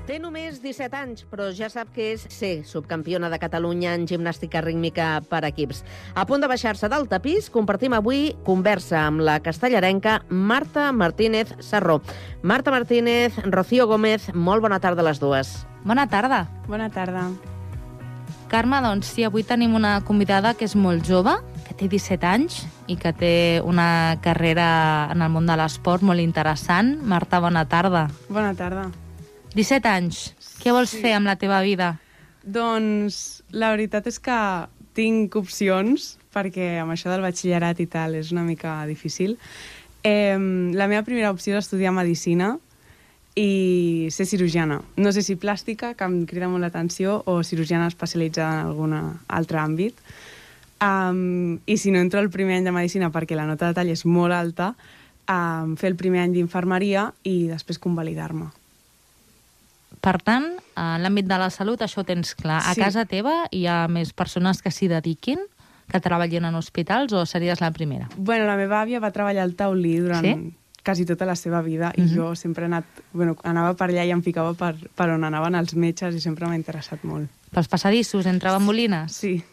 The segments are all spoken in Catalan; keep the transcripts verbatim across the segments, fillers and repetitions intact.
Té només disset anys, però ja sap que és ser subcampiona de Catalunya en gimnàstica rítmica per equips. A punt de baixar-se del tapís, compartim avui conversa amb la castellarenca Marta Martínez Sarró. Marta Martínez, Rocío Gómez, molt bona tarda a les dues. Bona tarda. Bona tarda. Carme, doncs sí, avui tenim una convidada que és molt jove, que té disset anys i que té una carrera en el món de l'esport molt interessant. Marta, bona tarda. Bona tarda. disset anys. Què vols Sí. fer amb la teva vida? Doncs la veritat és que tinc opcions, perquè amb això del batxillerat i tal és una mica difícil. Eh, la meva primera opció és estudiar Medicina i ser cirurgiana. No sé si plàstica, que em crida molt l'atenció, o cirurgiana especialitzada en algun altre àmbit. Um, I si no entro al primer any de Medicina perquè la nota de tall és molt alta, um, fer el primer any d'infermeria i després convalidar-me. Per tant, en l'àmbit de la salut això ho tens clar. A Sí. casa teva hi ha més persones que s'hi dediquin, que treballin en hospitals, o series la primera? Bueno, la meva àvia va treballar al taulí durant Sí? quasi tota la seva vida i Mhm. jo sempre he anat, bueno, anava per allà i em ficava per, per on anaven els metges i sempre m'ha interessat molt. Pels passadissos, entre bambolines? Sí,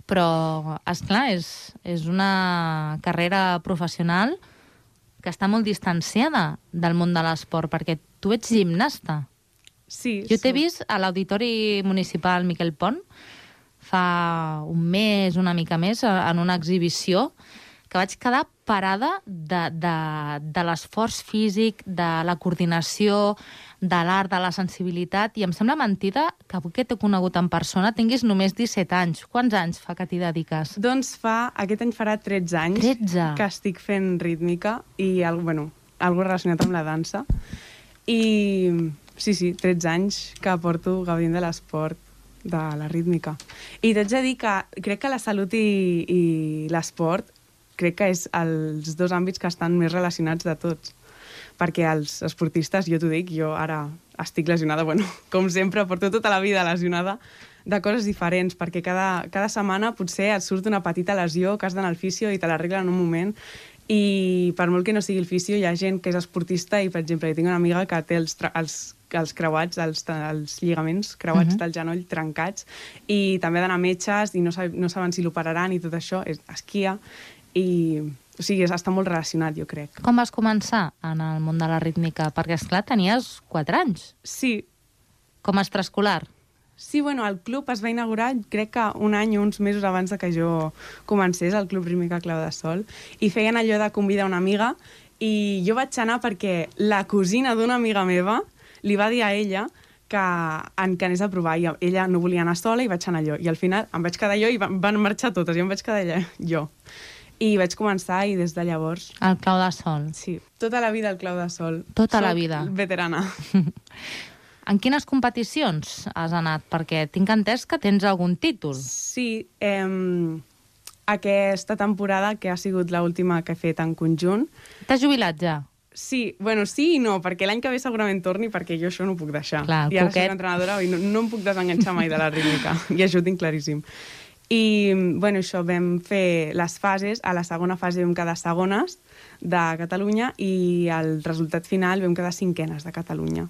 Però, esclar, és, és una carrera professional que està molt distanciada del món de l'esport, perquè tu ets gimnasta. sí. Jo t'he soc- vist a l'Auditori Municipal Miquel Pont fa un mes, una mica més, en una exhibició que vaig quedar parada de, de, de l'esforç físic, de la coordinació, de l'art, de la sensibilitat, i em sembla mentida que avui que t'he conegut en persona tinguis només disset anys. Quants anys fa que t'hi dediques? Doncs fa, aquest any farà tretze anys tretze. que estic fent rítmica i, al- bueno, algo relacionat amb la dansa. I sí, sí, tretze anys que porto gaudint de l'esport, de la rítmica. I t'haig de dir que crec que la salut i, i l'esport crec que és els dos àmbits que estan més relacionats de tots. Perquè els esportistes, jo t'ho dic, jo ara estic lesionada, bueno, com sempre, porto tota la vida lesionada de coses diferents, perquè cada, cada setmana potser et surt una petita lesió que has d'anar al fisio i te l'arreglen en un moment, i per molt que no sigui el fisio, hi ha gent que és esportista i, per exemple, jo tinc una amiga que té els, tra- els, els creuats, els, els lligaments creuats Mhm. del genoll trencats, i també ha d'anar a metges i no, sab, no saben si l'operaran i tot això, és, esquia, i o sigui, és, està molt relacionat, jo crec. Com vas començar en el món de la rítmica? Perquè, esclar, tenies quatre anys, Sí, com a extraescolar. sí, bueno, el club es va inaugurar crec que un any o uns mesos abans de que jo comencés, el Club Rítmica Clau de Sol, i feien allò de convidar una amiga, i jo vaig anar perquè la cosina d'una amiga meva li va dir a ella que, en, que anés a provar, i ella no volia anar sola i vaig anar jo, i al final em vaig quedar jo i van, van marxar totes, i em vaig quedar allà, jo. I vaig començar i des de llavors, El Clau de Sol. sí, tota la vida al Clau de Sol. Tota la Soc vida. veterana. En quines competicions has anat? Perquè tinc entès que tens algun títol. Sí, eh, aquesta temporada, que ha sigut l'última que he fet en conjunt, T'has jubilat ja? sí, bueno, sí i no, perquè l'any que ve segurament torni, perquè jo això no ho puc deixar. Clar, el I ara coquet. soc entrenadora i no, no em puc desenganxar mai de la rítmica, i això ho tinc claríssim. I, bueno, això, vam fer les fases, a la segona fase vam quedar segones de Catalunya i al resultat final vam quedar cinquenes de Catalunya.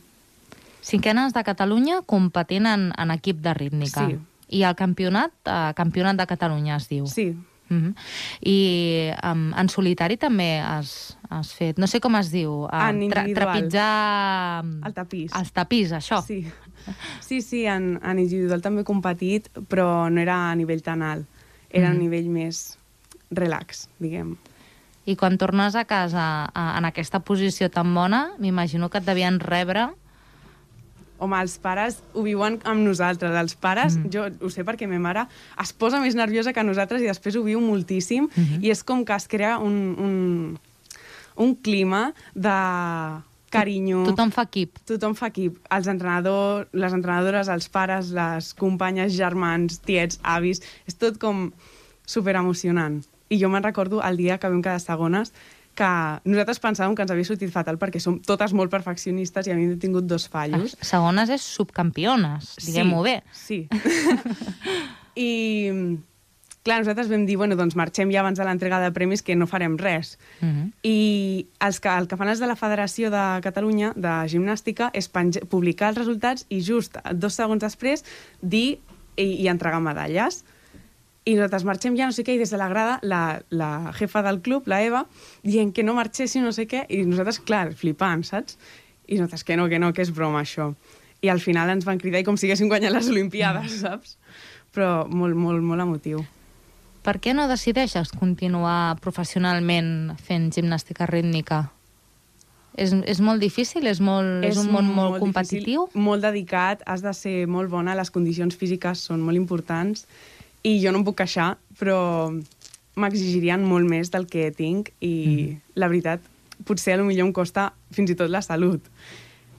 Cinquenes de Catalunya competint en, en equip de rítmica. Sí. I el campionat, eh, campionat de Catalunya es diu. Sí, Mhm. I um, en solitari també has, has fet, no sé com es diu, eh, En individual. trepitjar al tapís. els tapís, això. Sí, sí, sí en, en individual també he competit, però no era a nivell tan alt. Era Mhm. a nivell més relax, diguem. I quan tornes a casa a, en aquesta posició tan bona, m'imagino que et devien rebre... Home, els pares ho viuen amb nosaltres. Els pares, Mm. mm. jo ho sé perquè ma mare es posa més nerviosa que nosaltres i després ho viu moltíssim, Mhm. i és com que es crea un, un, un clima de carinyo. Tothom fa equip. Tothom fa equip. Els entrenadors, les entrenadores, els pares, les companyes, germans, tiets, avis... És tot com superemocionant. I jo me'n recordo el dia que vam quedar segones, que nosaltres pensàvem que ens havia sortit fatal perquè som totes molt perfeccionistes i havíem tingut dos fallos. Segones és subcampiones, diguem-ho bé. Sí. I, clar, nosaltres vam dir, bueno, doncs marxem ja abans de l'entrega de premis que no farem res. Uh -huh. I els que, el que fan els de la Federació de Catalunya de Gimnàstica és publicar els resultats i just dos segons després dir i, i entregar medalles. I nosaltres marxem ja no sé què, i des de la grada la, la jefa del club, la Eva, dient que no marxéssim no sé què, i nosaltres, clar, flipant, saps? I nosaltres que no, que no, que és broma això. I al final ens van cridar i com si haguéssim guanyat les Olimpiades, saps? Però molt, molt, molt emotiu. Per què no decideixes continuar professionalment fent gimnàstica rítmica? És, és molt difícil? És, molt, és, és un món molt, molt competitiu? Difícil, molt dedicat, has de ser molt bona, les condicions físiques són molt importants i jo no em puc queixar, però m'exigirien molt més del que tinc i mm. la veritat, potser potser em costa fins i tot la salut,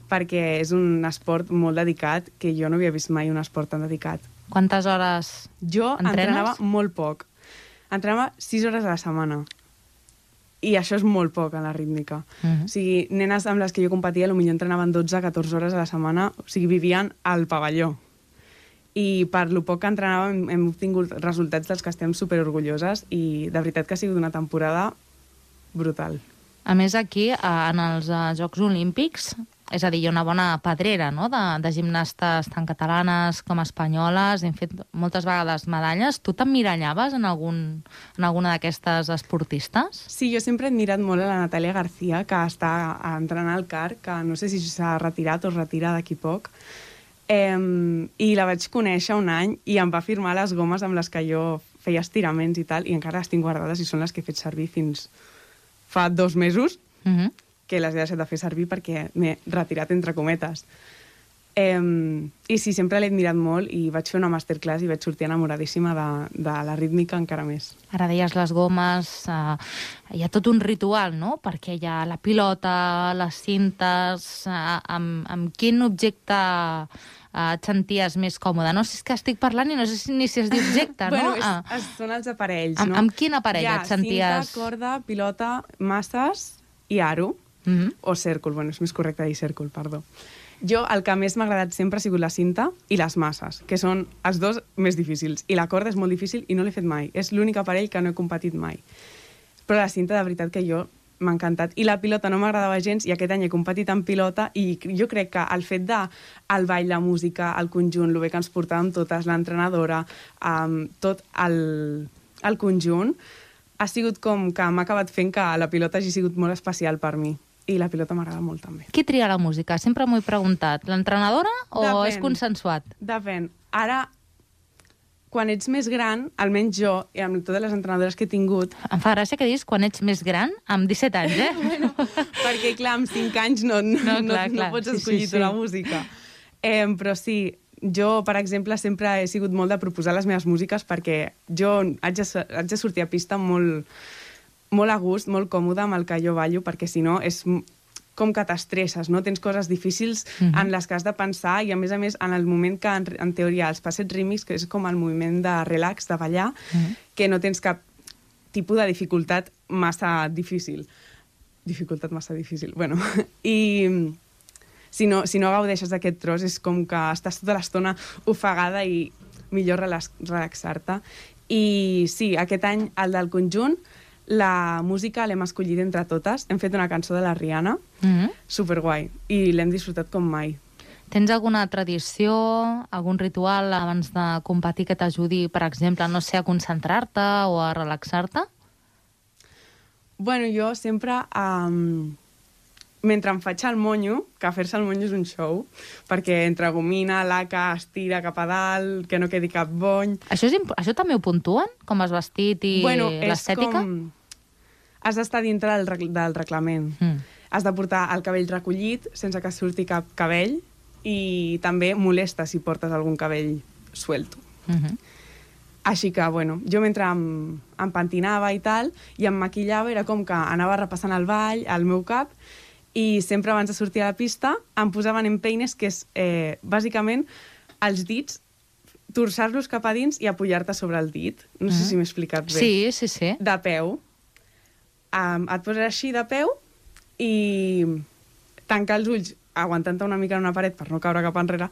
perquè és un esport molt dedicat que jo no havia vist mai un esport tan dedicat. Quantes hores Jo entrenes? entrenava molt poc. Entrenava sis hores a la setmana. I això és molt poc a la rítmica. Uh -huh. O sigui, nenes amb les que jo competia potser entrenaven dotze a catorze hores a la setmana, o sigui, vivien al pavelló. I per lo poc que entrenàvem hem obtingut resultats dels que estem superorgulloses i de veritat que ha sigut una temporada brutal. A més, aquí, en els Jocs Olímpics, és a dir, hi ha una bona pedrera, no?, de, de gimnastes tant catalanes com espanyoles. Hem fet moltes vegades medalles. Tu t'emmirallaves en, algun, en alguna d'aquestes esportistes? Sí, jo sempre he admirat molt a la Natàlia García, que està entrenant al C A R, que no sé si s'ha retirat o es retira d'aquí poc. Eh, I la vaig conèixer un any i em va firmar les gomes amb les que jo feia estiraments i tal, i encara les tinc guardades i són les que he fet servir fins fa dos mesos. Uh -huh. que les he deixat de fer servir perquè m'he retirat entre cometes. Eh, I sí, sempre l'he admirat molt i vaig fer una masterclass i vaig sortir enamoradíssima de, de la rítmica encara més. Ara deies les gomes, eh, hi ha tot un ritual, no?, perquè hi ha la pilota, les cintes... Eh, amb, amb quin objecte eh, et senties més còmode? No sé si és que estic parlant i no sé ni si es diu objecte, bueno, no? És, Ah. és, són els aparells, amb, no? Amb quin aparell et senties? Hi ha cinta, corda, pilota, masses i aro. Mm -hmm. O cèrcol, bueno, és més correcte dir cèrcol, perdó. Jo, el que més m'ha agradat sempre ha sigut la cinta i les masses, que són els dos més difícils. I la corda és molt difícil i no l'he fet mai. És l'únic aparell que no he competit mai. Però la cinta, de veritat, que jo m'ha encantat. I la pilota no m'agradava gens i aquest any he competit en pilota i jo crec que el fet de el ball, la música, el conjunt, el bé que ens portàvem totes, l'entrenadora, um, tot el, el conjunt, ha sigut com que m'ha acabat fent que la pilota hagi sigut molt especial per mi. I la pilota m'agrada molt, també. Qui tria la música? Sempre m'ho he preguntat. L'entrenadora o Depèn. És consensuat? Depèn. Ara, quan ets més gran, almenys jo, i amb totes les entrenadores que he tingut... Em fa gràcia que diguis quan ets més gran, amb disset anys, eh? bueno, perquè, clar, amb cinc anys no, no, no, clar, no, clar. no pots escollir sí, sí, sí. la música. Eh, però sí, jo, per exemple, sempre he sigut molt de proposar les meves músiques perquè jo haig de, haig de sortir a pista molt... molt a gust, molt còmode amb el que jo ballo, perquè si no és com que t'estresses, no? Tens coses difícils uh-huh. en les que has de pensar i, a més a més, en el moment que, en, en teoria, els passets rítmics, que és com el moviment de relax, de ballar, uh-huh. que no tens cap tipus de dificultat massa difícil. Dificultat massa difícil, bueno. I si no, si no gaudeixes d'aquest tros és com que estàs tota l'estona ofegada i millor relax, relaxar-te. I sí, aquest any, el del conjunt, la música l'hem escollit entre totes. Hem fet una cançó de la Rihanna, mm-hmm. superguai, i l'hem disfrutat com mai. Tens alguna tradició, algun ritual abans de competir que t'ajudi, per exemple, no sé, a concentrar-te o a relaxar-te? Bueno, jo sempre, um, mentre em faig el monyo, que fer-se el monyo és un show, perquè entre gomina, laca, estira cap a dalt, que no quedi cap bony... Això, és això també ho puntuen, com has vestit i bueno, l'estètica? Com... Has d'estar dintre del, reg del reglament. Mm. Has de portar el cabell recollit, sense que surti cap cabell, i també molesta si portes algun cabell suelto. Mm-hmm. Així que, bueno, jo mentre em, em pentinava i tal, i em maquillava, era com que anava repassant el ball, al meu cap, i sempre abans de sortir a la pista em posaven en peines, que és, eh, bàsicament, els dits, torçar-los cap a dins i apoyar-te sobre el dit. No sé mm. si m'he explicat bé. Sí, sí, sí. De peu. Um, et poses així de peu i tancar els ulls aguantant-te una mica en una paret per no caure cap enrere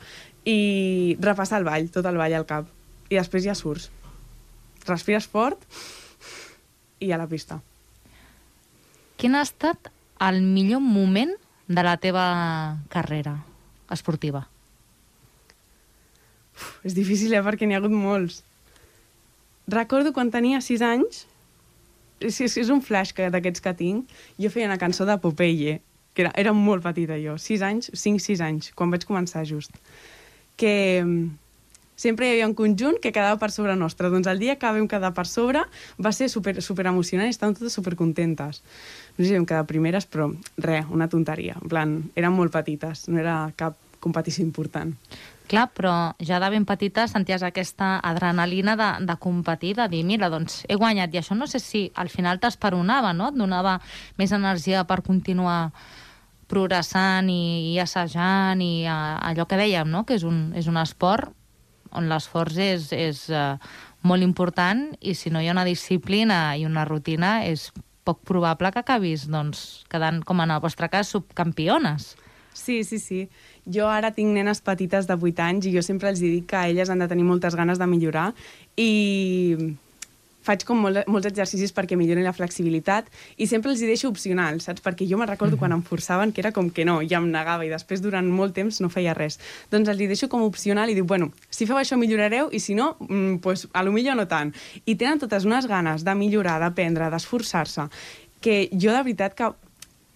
i repassar el ball, tot el ball al cap. I després ja surts. respires fort i a la pista. Quin ha estat el millor moment de la teva carrera esportiva? Uf, és difícil, eh, perquè n'hi ha hagut molts. Recordo quan tenia sis anys, és, és, és un flash que, d'aquests que tinc, jo feia una cançó de Popeye, que era, era molt petita jo, sis anys, cinc sis anys, quan vaig començar just, que sempre hi havia un conjunt que quedava per sobre nostre. Doncs el dia que vam quedar per sobre va ser super, super emocionant i estàvem totes super contentes. No sé si vam quedar primeres, però res, una tonteria. En plan, eren molt petites, no era cap competició important. Clar, però ja de ben petita senties aquesta adrenalina de, de competir, de dir, mira, doncs he guanyat. I això no sé si al final t'esperonava, no? Et donava més energia per continuar progressant i, i assajant i a, allò que dèiem, no? Que és un, és un esport on l'esforç és, és uh, molt important i si no hi ha una disciplina i una rutina és poc probable que acabis doncs, quedant, com en el vostre cas, subcampiones. Sí, sí, sí. Jo ara tinc nenes petites de vuit anys i jo sempre els dic que elles han de tenir moltes ganes de millorar i faig com molt, molts exercicis perquè millorin la flexibilitat i sempre els hi deixo opcional, saps? Perquè jo me'n recordo quan em forçaven que era com que no, ja em negava i després durant molt temps no feia res. Doncs els hi deixo com opcional i dic, bueno, si feu això millorareu i si no, mm, pues, a lo millor no tant. I tenen totes unes ganes de millorar, d'aprendre, d'esforçar-se, que jo de veritat que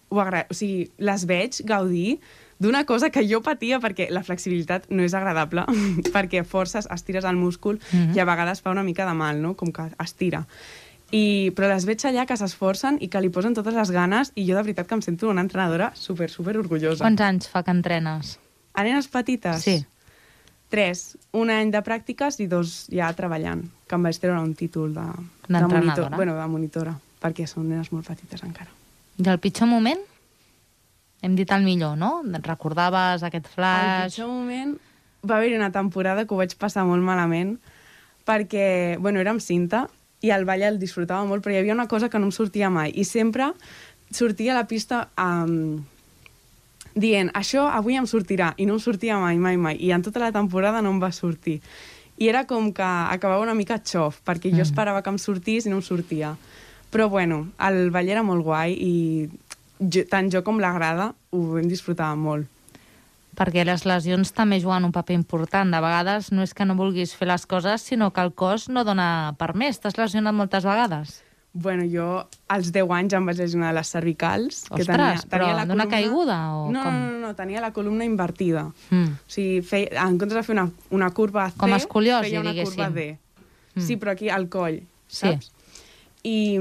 ho agra... o sigui, les veig gaudir d'una cosa que jo patia, perquè la flexibilitat no és agradable, perquè forces, estires el múscul mm-hmm. i a vegades fa una mica de mal, no? Com que estira. I, però les veig allà que s'esforcen i que li posen totes les ganes i jo de veritat que em sento una entrenadora super, super orgullosa. Quants anys fa que entrenes? A nenes petites? Sí. Tres. Un any de pràctiques i dos ja treballant, que em vaig treure un títol de, de, D'entrenadora? monitor, bueno, de monitora, perquè són nenes molt petites encara. I el pitjor moment? Hem dit el millor, no? Recordaves aquest flash? El pitjor moment va haver-hi una temporada que ho vaig passar molt malament perquè, bueno, érem cinta i el ball el disfrutava molt, però hi havia una cosa que no em sortia mai i sempre sortia a la pista um, dient, això avui em sortirà, i no em sortia mai, mai, mai, i en tota la temporada no em va sortir. I era com que acabava una mica xof, perquè jo esperava que em sortís i no em sortia. Però bueno, el ball era molt guai i jo, tant jo com la grada ho vam disfrutar molt. Perquè les lesions també juguen un paper important. De vegades no és que no vulguis fer les coses, sinó que el cos no dona per més. T'has lesionat moltes vegades? Bueno, jo als deu anys em vaig lesionar les cervicals. Ostres, que tenia, tenia però la d'una columna... caiguda o no, com? No, no, no, tenia la columna invertida. Mm. O sigui, feia, en comptes de fer una, una curva C, com escoliosi, feia una diguéssim. curva D. Mm. Sí, però aquí al coll, Sí. saps? I,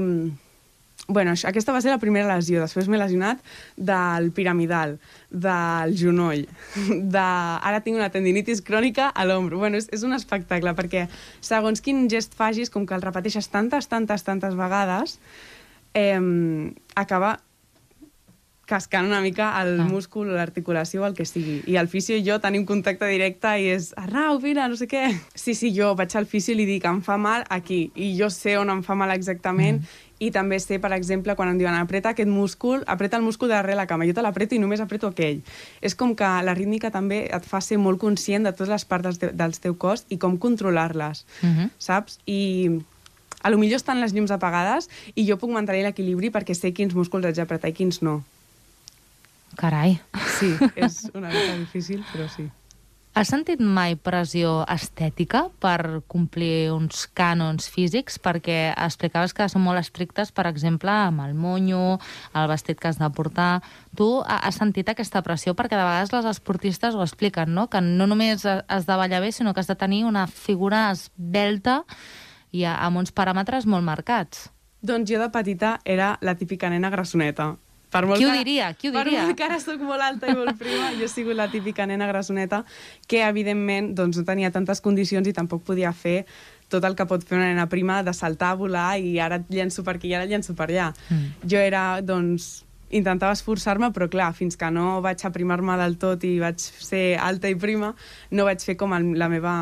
bueno, això, aquesta va ser la primera lesió. Després m'he lesionat del piramidal, del genoll, de... ara tinc una tendinitis crònica a l'ombro. Bueno, és, és un espectacle, perquè segons quin gest facis, com que el repeteixes tantes, tantes, tantes vegades, eh, acaba cascant una mica el ah. múscul, l'articulació, el que sigui. I el fisio i jo tenim contacte directe i és Arnau, vine, no sé què. Sí, sí, jo vaig al fisio i li dic em fa mal aquí, i jo sé on em fa mal exactament, mm. i també sé, per exemple, quan em diuen apreta aquest múscul, apreta el múscul darrere la cama, jo te l'apreto i només apreto aquell. És com que la rítmica també et fa ser molt conscient de totes les parts del teu, del teu cos i com controlar-les, mm-hmm. saps? I a lo millor estan les llums apagades i jo puc mantenir l'equilibri perquè sé quins músculs haig d'apretar i quins no. Carai. Sí, és una mica difícil, però sí. Has sentit mai pressió estètica per complir uns cànons físics? Perquè explicaves que són molt estrictes, per exemple, amb el monyo, el vestit que has de portar. Tu has sentit aquesta pressió? Perquè de vegades les esportistes ho expliquen, no? Que no només has de ballar bé, sinó que has de tenir una figura esvelta i amb uns paràmetres molt marcats. Doncs jo de petita era la típica nena grassoneta. Per molt qui ho que, diria? Qui ho per diria? molt que ara soc molt alta i molt prima, jo he sigut la típica nena grassoneta que, evidentment, doncs, no tenia tantes condicions i tampoc podia fer tot el que pot fer una nena prima de saltar, volar i ara et llenço per aquí i ara et llenço per allà. Mm. Jo era, doncs, intentava esforçar-me, però clar, fins que no vaig aprimar-me del tot i vaig ser alta i prima, no vaig fer com el, la meva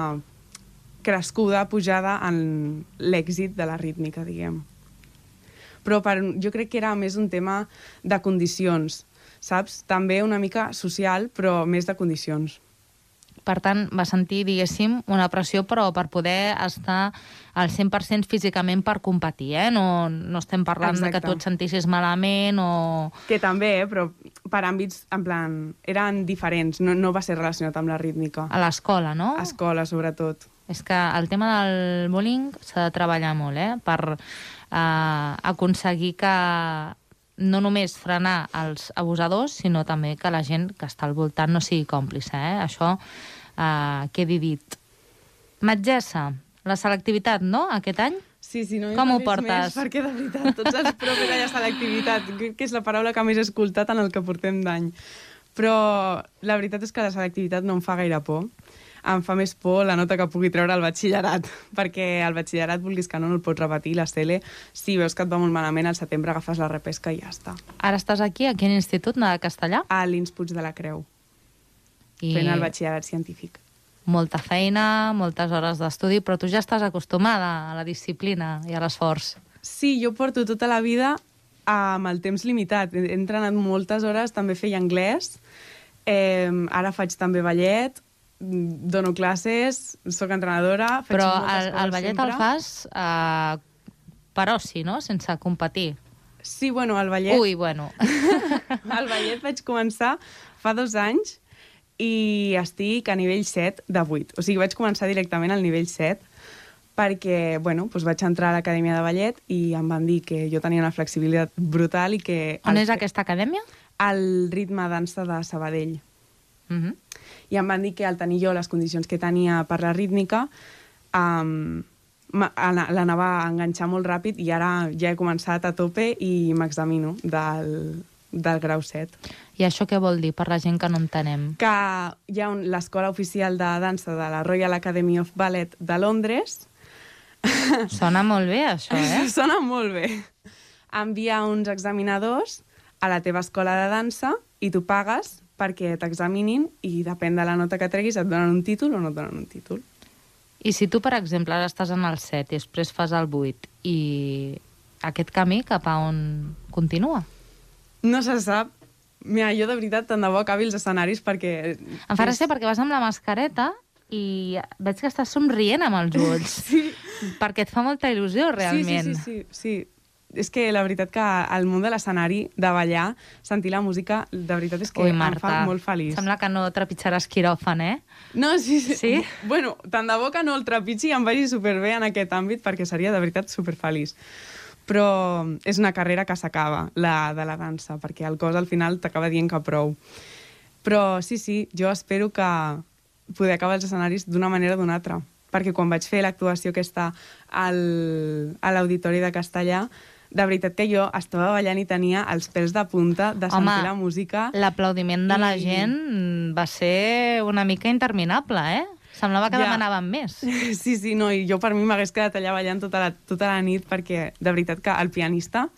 crescuda, pujada en l'èxit de la rítmica, diguem. Però per, jo crec que era més un tema de condicions, saps? També una mica social, però més de condicions. per tant, va sentir, diguéssim, una pressió, però per poder estar al cent per cent físicament per competir, eh? No, no estem parlant Exacte. de que tu et sentissis malament o... Que també, eh? Però per àmbits, en plan, eren diferents, no, no va ser relacionat amb la rítmica. A l'escola, no? A escola, sobretot. És que el tema del bullying s'ha de treballar molt, eh? Per eh, aconseguir que no només frenar els abusadors, sinó també que la gent que està al voltant no sigui còmplice, eh? Això eh, quedi dit. Metgessa, la selectivitat, no?, aquest any? Sí, sí, no Com ho parlis portes? Més, perquè, de veritat, tots els profes allà selectivitat, crec que és la paraula que més he escoltat en el que portem d'any. Però la veritat és que la selectivitat no em fa gaire por. Em fa més por la nota que pugui treure al batxillerat, perquè al batxillerat, vulguis que no, no el pots repetir, la C L, si veus que et va molt malament, al setembre agafes la repesca i ja està. Ara estàs aquí, a quin institut, de castellà? A l'Ins Puig de la Creu, I fent el batxillerat científic. molta feina, moltes hores d'estudi, però tu ja estàs acostumada a la disciplina i a l'esforç. Sí, jo porto tota la vida amb el temps limitat. He entrenat moltes hores, també feia anglès, eh, ara faig també ballet, dono classes, sóc entrenadora, faig Però moltes el, coses el ballet sempre. el fas eh, per oci, no?, sense competir. Sí, bueno, el ballet... Ui, bueno. El ballet vaig començar fa dos anys i estic a nivell set de vuit. O sigui, vaig començar directament al nivell set perquè, bueno, doncs vaig entrar a l'acadèmia de ballet i em van dir que jo tenia una flexibilitat brutal i que... On el és fe- aquesta acadèmia? Al Ritme Dansa de Sabadell. Uh -huh. I em van dir que al tenir jo les condicions que tenia per la rítmica um, l'anava a enganxar molt ràpid i ara ja he començat a tope i m'examino del, del grau set. I això què vol dir, per la gent que no entenem? Que hi ha un- l'escola oficial de dansa de la Royal Academy of Ballet de Londres. Sona molt bé, això, eh? Sona molt bé. Envia uns examinadors a la teva escola de dansa i tu pagues perquè t'examinin i depèn de la nota que treguis et donen un títol o no et donen un títol. I si tu, per exemple, ara estàs en el set i després fas el vuit, i aquest camí cap a on continua? No se sap. Mira, jo de veritat tant de bo acabi els escenaris perquè... Em fa gràcia perquè vas amb la mascareta i veig que estàs somrient amb els ulls. Sí. Perquè et fa molta il·lusió, realment. Sí, sí, sí, sí, sí. És que la veritat que al món de l'escenari, de ballar, sentir la música, de veritat és que Ui, em Marta, fa molt feliç. sembla que no trepitjaràs quiròfan, eh? No, sí, sí. Sí? Bueno, tant de bo que no el trepitgi i em vagi superbé en aquest àmbit perquè seria de veritat superfeliç. Però és una carrera que s'acaba, la de la dansa, perquè el cos al final t'acaba dient que prou. Però sí, sí, jo espero que poder acabar els escenaris d'una manera o d'una altra. Perquè quan vaig fer l'actuació aquesta al, a l'Auditori de Castellà, de veritat que jo estava ballant i tenia els pèls de punta de sentir Home, la música. L'aplaudiment de la I- gent va ser una mica interminable, eh? Semblava que Ja. demanaven més. Sí, sí, no, i jo per mi m'hagués quedat allà ballant tota la, tota la nit perquè, de veritat, que el pianista,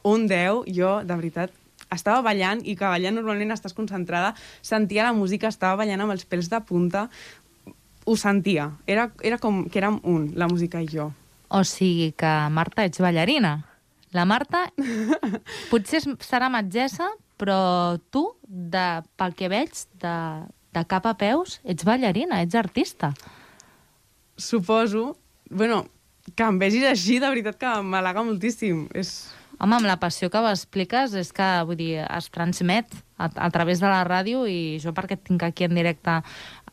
un deu, jo, de veritat, estava ballant i que ballant normalment estàs concentrada, sentia la música, estava ballant amb els pèls de punta, ho sentia. Era, era com que érem un, la música i jo. O sigui que, Marta, ets ballarina. La Marta potser és- serà metgessa, però tu, de, pel que veig, de, de cap a peus, ets ballarina, ets artista. Suposo, bueno, que em vegis així, de veritat que m'halaga moltíssim. És... Home, amb la passió que ho expliques, és que, vull dir, es transmet a, a través de la ràdio i jo perquè et tinc aquí en directe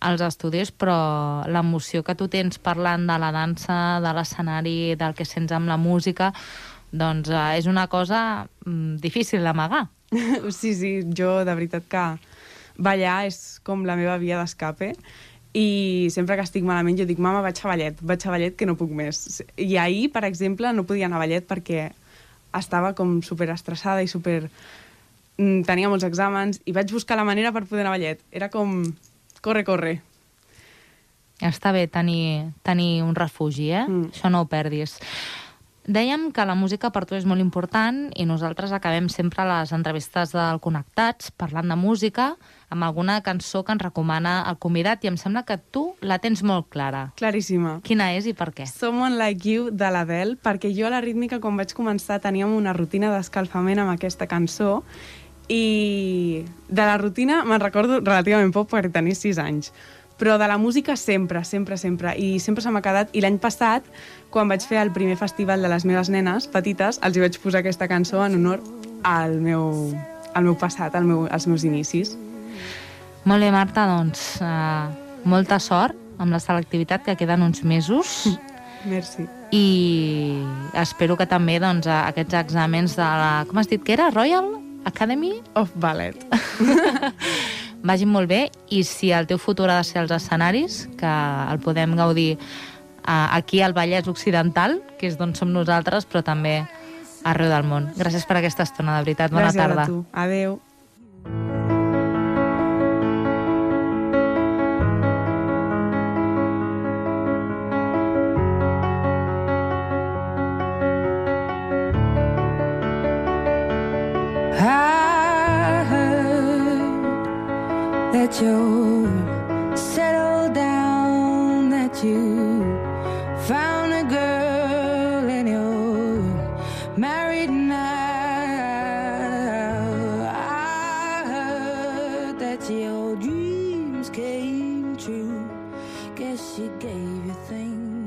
als estudis, però l'emoció que tu tens parlant de la dansa, de l'escenari, del que sents amb la música, doncs eh, és una cosa mm, difícil d'amagar. Sí, sí, jo de veritat que ballar és com la meva via d'escape i sempre que estic malament jo dic, mama, vaig a ballet, vaig a ballet que no puc més. I ahir, per exemple, no podia anar a ballet perquè estava com super estressada i super... mm, tenia molts exàmens i vaig buscar la manera per poder anar a ballet. Era com, corre, corre. Està bé tenir, tenir un refugi, eh? Mm. Això no ho perdis. Dèiem que la música per tu és molt important i nosaltres acabem sempre les entrevistes del Connectats parlant de música amb alguna cançó que ens recomana el convidat i em sembla que tu la tens molt clara. Claríssima. Quina és i per què? Someone Like You de l'Adele, perquè jo a la rítmica quan vaig començar teníem una rutina d'escalfament amb aquesta cançó i de la rutina me'n recordo relativament poc perquè tenia sis anys, Però de la música sempre, sempre, sempre. I sempre se m'ha quedat. I l'any passat, quan vaig fer el primer festival de les meves nenes petites, els hi vaig posar aquesta cançó en honor al meu, al meu passat, al meu, als meus inicis. Molt bé, Marta, doncs uh, molta sort amb la selectivitat, que queden uns mesos. Merci. I espero que també doncs, aquests exàmens de la... Com has dit que era? Royal Academy of Ballet. Vagin molt bé, i si el teu futur ha de ser als escenaris, que el podem gaudir uh, aquí al Vallès Occidental, que és d'on som nosaltres, però també arreu del món. Gràcies per aquesta estona, de veritat. Bona Gràcies tarda. a tu. Adéu. I heard that you're settled down, that you found a girl and you're married now. I heard that your dreams came true. Guess she gave you things